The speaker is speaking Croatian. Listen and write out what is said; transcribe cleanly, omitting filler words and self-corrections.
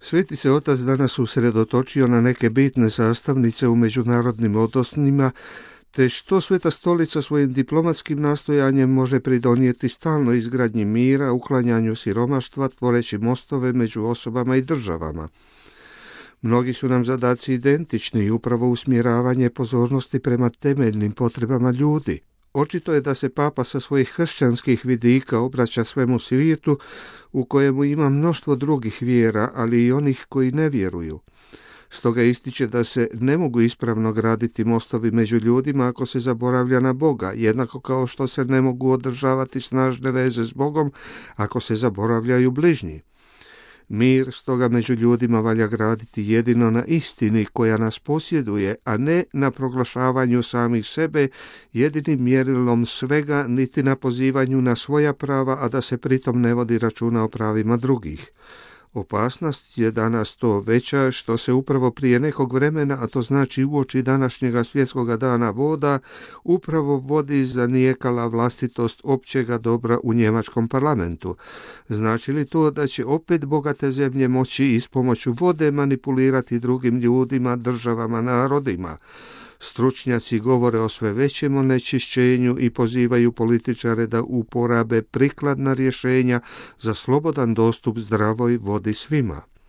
Sveti se otac danas usredotočio na neke bitne sastavnice u međunarodnim odnosima, te što Sveta stolica svojim diplomatskim nastojanjem može pridonijeti stalnoj izgradnji mira, uklanjanju siromaštva, tvoreći mostove među osobama i državama. Mnogi su nam zadaci identični i upravo usmjeravanje pozornosti prema temeljnim potrebama ljudi. Očito je da se Papa sa svojih kršćanskih vidika obraća svemu svijetu u kojemu ima mnoštvo drugih vjera, ali i onih koji ne vjeruju. Stoga ističe da se ne mogu ispravno graditi mostovi među ljudima ako se zaboravlja na Boga, jednako kao što se ne mogu održavati snažne veze s Bogom ako se zaboravljaju bližnji. Mir stoga među ljudima valja graditi jedino na istini koja nas posjeduje, a ne na proglašavanju samih sebe jedinim mjerilom svega, niti na pozivanju na svoja prava, a da se pritom ne vodi računa o pravima drugih. Opasnost je danas to veća što se upravo prije nekog vremena, a to znači uoči današnjega svjetskoga dana voda, upravo vodi zanijekala vlastitost općega dobra u njemačkom parlamentu. Znači li to da će opet bogate zemlje moći iz pomoću vode manipulirati drugim ljudima, državama, narodima? Stručnjaci govore o sve većem onečišćenju i pozivaju političare da uporabe prikladna rješenja za slobodan dostup zdravoj vodi svima.